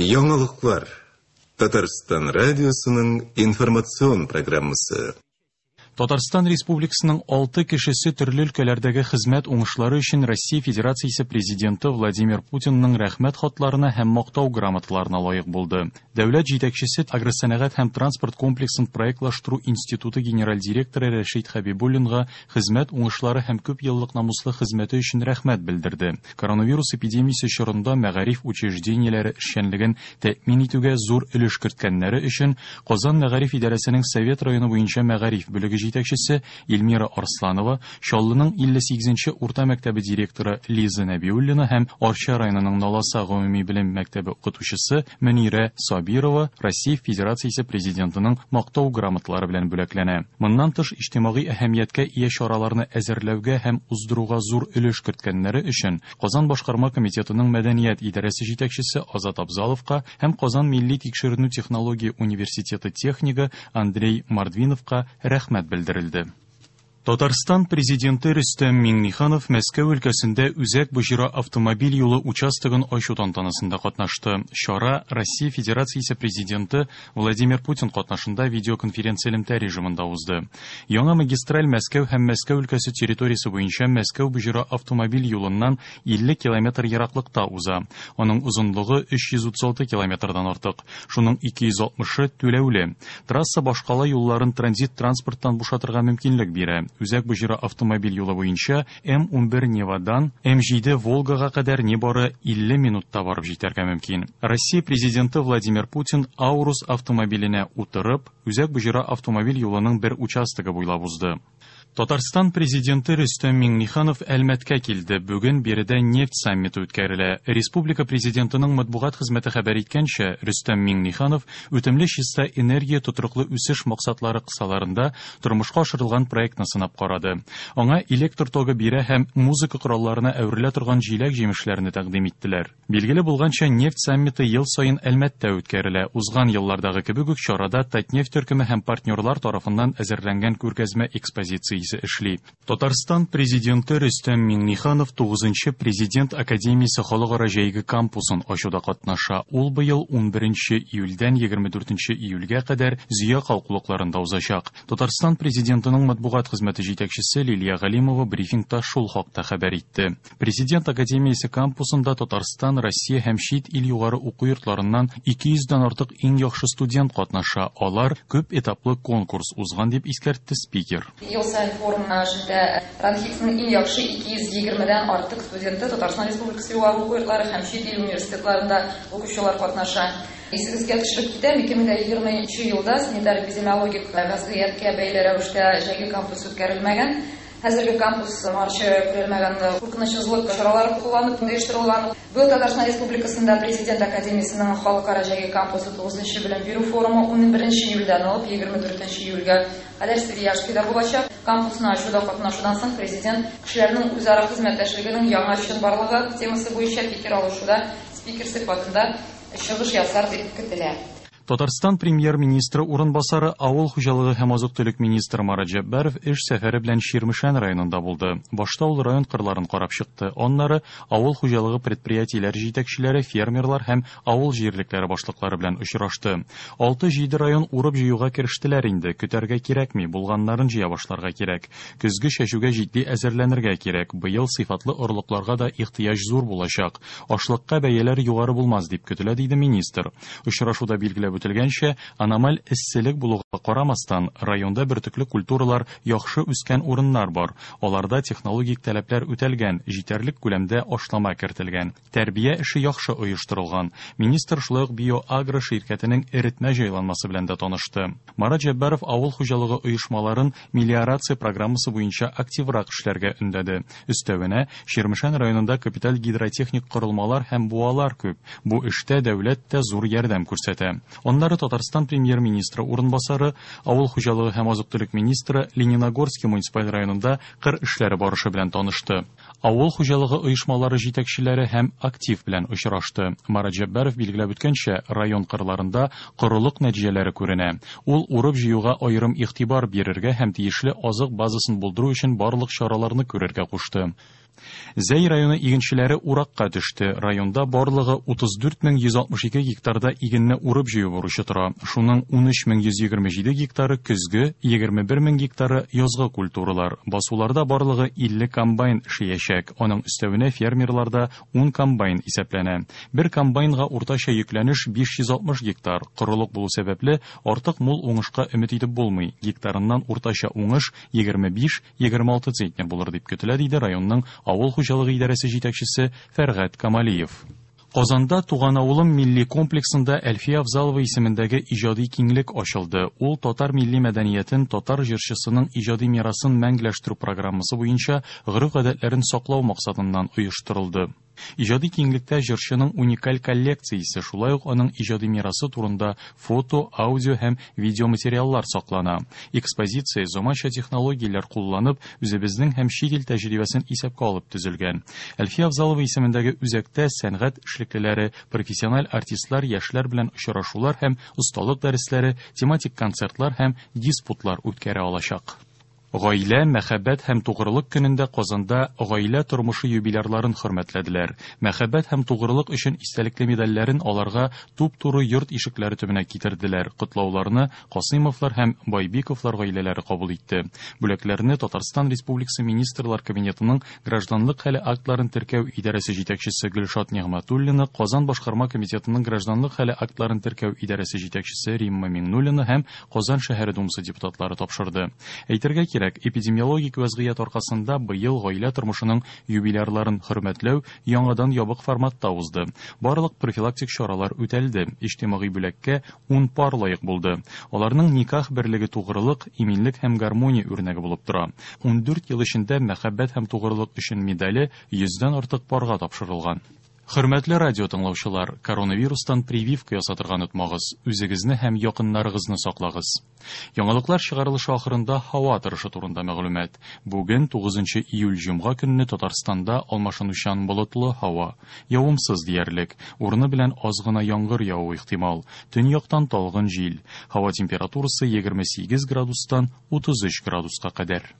Яңалыклар. Татарстан радиосының информацион программасы. Татарстан Республикасының алты кешесе төрле өлкәләрдәге хезмәт уңышлары өчен Россия Федерациясе Президенты Владимир Путинның рәхмәт хатларына һәм мактау грамоталарына лаек булды. Дәүләт җитәкчесе Агросәнәгать һәм транспорт комплексын проектлаштыру институты генераль директоры Рәшит Хәбибуллинга хезмәт уңышлары һәм күп еллык намуслы хезмәте өчен рәхмәт белдерде. Коронавирус эпидемиясе чорында мәгариф учреждениеләре эшчәнлеген тәэмин итүгә зур өлеш керткәннәре өчен Казан мәгариф идарәсенең Совет районы буенча мәгариф бүлеге җитәкчесе Эльмира Арсланова, Чаллының 58 нче урта мәктәбе директоры Лиза Нәбиуллина һәм Арча районының Наласа гомуми белем мәктәбе укытучысы Мөнирә Сабирова Россия Федерациясе Президентының Мактау грамоталары белән бүләкләнә. Моннан тыш, иҗтимагый әһәмияткә ия чараларны әзерләүгә һәм уздыруга зур өлеш керткәннәре өчен Казан башкарма комитетының мәдәният идарәсе җитәкчесе Азат Абзаловка һәм Казан милли тикшеренү технология университеты технигы Андрей Мордвиновка рәхмәт белдерелде. Татарстан Президенты Рөстәм Миңнеханов Мәскәү өлкәсендә Үзәк Боҗра автомобиль юлы участогын ачу тантанасында катнашты. Чара Россия Федерациясе Президенты Владимир Путин катнашында видеоконференцэлемтә режимында узды. Яңа магистраль Мәскәү һәм Мәскәү өлкәсе территориясе буенча Мәскәү-Боҗра автомобиль юлыннан 50 километр ераклыкта уза. Аның озынлыгы 336 километрдан артык, шуның 260-ы түләүле. Трасса башкала юлларын транзит транспорттан бушатырга мөмкинлек бирә. Үзәк Боҗра автомобиль юлы буенча М-11 Невадан М-7 Волгага кадәр нибары 50 минутта барып җитәргә мөмкин. Россия Президенты Владимир Путин Аурус автомобиленә утырып, Үзәк Боҗра автомобиль юлының бер участогы буйлап узды. Татарстан Президенты Рөстәм Миңнеханов Әлмәткә килде. Бүген биредә нефть саммиты үткәрелә. Республика Президентының матбугат хезмәте хәбәр иткәнчә, Рөстәм Миңнеханов үтемле чиста энергия тотрыклы үсеш максатлары кысаларында тормышка ашырылган проектны сынап карады. Аңа электр тогы бирә һәм музыка коралларына әверелә торган җиләк-җимешләрне тәкъдим иттеләр. Билгеле булганча, нефть саммиты ел саен Әлмәттә үткәрелә. Узган еллардагы кебек үк чарада Татнефть төркеме һәм партнерлар тарафыннан әзерләнгән күргәзмә экспозициясе эшли. Татарстан Президенты Рөстәм Миңнеханов тугызынчы Президент академиясе халыкара җәйге кампусын ачуда катнаша. Ул быел унберенче июльдән 24 июльгә кадәр Зөя калкулыкларында узачак. Татарстан Президентының матбугат хезмәте җитәкчесе Лилия Галимова брифингта шул хакта хәбәр итте. Президент академиясе кампусында Татарстан, Россия һәм чит ил югары уку йортларыннан 200 дән артык иң яхшы студент катнаша. Алар күп этаплы конкурс узган, дип искәртте спикер. Ел саен форум эшендә РАНХиГСның иң яхшы 220 дән артык студенты Татарстан Республикасы югары уку йортлары һәм чит ил университетларында укучылар катнаша. Исегезгә төшереп китәм, 2020 нче елда санитар-эпидемиологик вәзгыятькә бәйле рәвештә җәйге кампус үткәрелмәгән. Хәзерге кампус моңарчы күрелмәгән куркынычсызлык чаралары кулланып оештырылган. Быел Татарстан Республикасында Президент академиясенең халыкара җәйге кампусы тугызынчы белем бирү форумы унберенче июльдән алып 24 июльгә кадәр Свияжскида булачак. Кампусны ачуда катнашудан соң Президент кешеләрнең үзара хезмәттәшлегенең яңа чынбарлыгы темасы буенча фикер алышуда спикер сыйфатында чыгыш ясар дип көтелә. Татарстан Премьер-министры урынбасары, авыл хуҗалыгы һәм азык-төлек министры Марат Җәббаров эш сәфәре белән Чирмешән районында булды. Башта ул район кырларын карап чыкты, аннары авыл хуҗалыгы предприятиеләре җитәкчеләре, фермерлар һәм авыл җирлекләре башлыклары белән очрашты. Алты-җиде район урып-җыюга керештеләр инде, көтәргә кирәкми, булганнарын җыя башларга кирәк. Көзге чәчүгә җитди әзерләнергә кирәк, быел сыйфатлы орлыкларга да ихтыяҗ зур булачак. Ашлыкка бәяләр югары булмас дип көтелә, диде министр. Очрашуда билгеләп үтелгәнчә, аномаль эсселек булуга карамастан, районда бөртекле культуралар яхшы үскән урыннар бар, аларда технологик таләпләр үтәлгән, җитәрлек күләмдә ашлама кертелгән, тәрбия эше яхшы оештырылган. Министр шулай ук Биоагро ширкәтенең эретмә җайланмасы белән дә танышты. Марат Җәббаров авыл хуҗалыгы оешмаларын мелиорация программасы буенча активрак эшләргә өндәде. Өстәвенә, Чирмешән районында капиталь гидротехник корылмалар һәм буалар күп, бу эштә дәүләт тә зур ярдәм күрсәтә. Аннары Татарстан Премьер-министры урынбасары, авыл хуҗалыгы һәм азык-төлек министры Лениногорский муниципаль районында кыр эшләре барышы белән танышты. Авыл хуҗалыгы оешмалары җитәкчеләре һәм актив белән очрашты. Марат Җәббаров билгеләп үткәнчә, район кырларында корылык нәтиҗәләре күренә. Ул урып-җыюга аерым игътибар бирергә һәм тиешле азык базасын булдыру өчен барлык чараларны күрергә кушты. Зәй районы игенчеләре уракка төште. Районда барлыгы 34162 гектарда игенне урып җыю бурычы тора. Шуның 13127 гектары көзге, 21000 гектары язгы культуралар. Басуларда барлыгы 50 комбайн эшләячәк. Аның өстәвенә фермерларда 10 комбайн исәпләнә. Бер комбайнга уртача йөкләнеш 560 гектар. Корылык булу сәбәпле, артык мул уңышка өмет итеп булмый. Гектарыннан уртача уңыш 25-26 центнер булыр дип көтелә, диде районның авыл хуҗалыгы идарәсе җитәкчесе Фәргать Камалиев. Казанда Туган авылым милли комплексында Әлфия Авзалова исемендәге иҗади киңлек ачылды. Ул татар милли мәдәниятен, татар җырчысының иҗади мирасын мәңгеләштерү программасы буенча гореф-гадәтләрен саклау максатыннан оештырылды. Иҗади киңлектә җырчының уникаль коллекциясе, шулай ук аның иҗади мирасы турында фото, аудио һәм видеоматериаллар саклана. Экспозиция заманча технологияләр кулланып, үзебезнең һәм чит ил тәҗрибәсен исәпкә алып төзелгән. Әлфия Авзалова исемендәге үзәктә сәнгать эшлеклеләре, профессиональ артистлар яшьләр белән очрашулар һәм осталык дәресләре, тематик концертлар һәм диспутлар үткәрә алачак. Гаилә, мәхәббәт һәм тугрылык көнендә Казанда гаилә тормышы юбилярларын хөрмәтләделәр. Мәхәббәт һәм тугрылык өчен истәлекле медальләрен аларга туп-туры йорт ишекләре төбенә китерделәр. Котлауларны Касыймовлар һәм Байбиковлар гаиләләре кабул итте. Бүләкләрне Татарстан Республикасы Министрлар Кабинетының гражданлык хәле актларын теркәү идарәсе җитәкчесе Гөлшат Нигъмәтуллина, Казан башкарма комитетының гражданлык хәле актларын теркәү идарәсе җитәкчесе Римма Миңнуллина һәм Казан шәһәре думасы депутатлары тапшырды. Әйтергә кирәк, эпидемиологик вәзгыять аркасында быел гаилә тормышының юбилярларын хөрмәтләү яңадан ябык форматта узды. Барлык профилактик чаралар үтәлде. Иҗтимагый бүләккә 10 пар лаек булды. Аларның никах берлеге тугрылык, иминлек һәм гармония үрнәге булып тора. 14 ел эчендә мәхәббәт һәм тугрылык өчен медале 100дән артык парга тапшырылган. Хөрмәтле радио тыңлаучылар, коронавирустан прививка ясатырга онытмагыз. Үзегезне һәм якыннарыгызны саклагыз. Яңалыклар чыгарылышы ахырында һава торышы турында мәгълүмат. Бүген 9 июль җомга көнне Татарстанда алмашынучан болытлы һава, явымсыз диярлек, урыны белән аз гына яңгыр явуы ихтимал. Төньяктан талгын җил. Һава температурасы 28 градустан 33 градуска кадәр.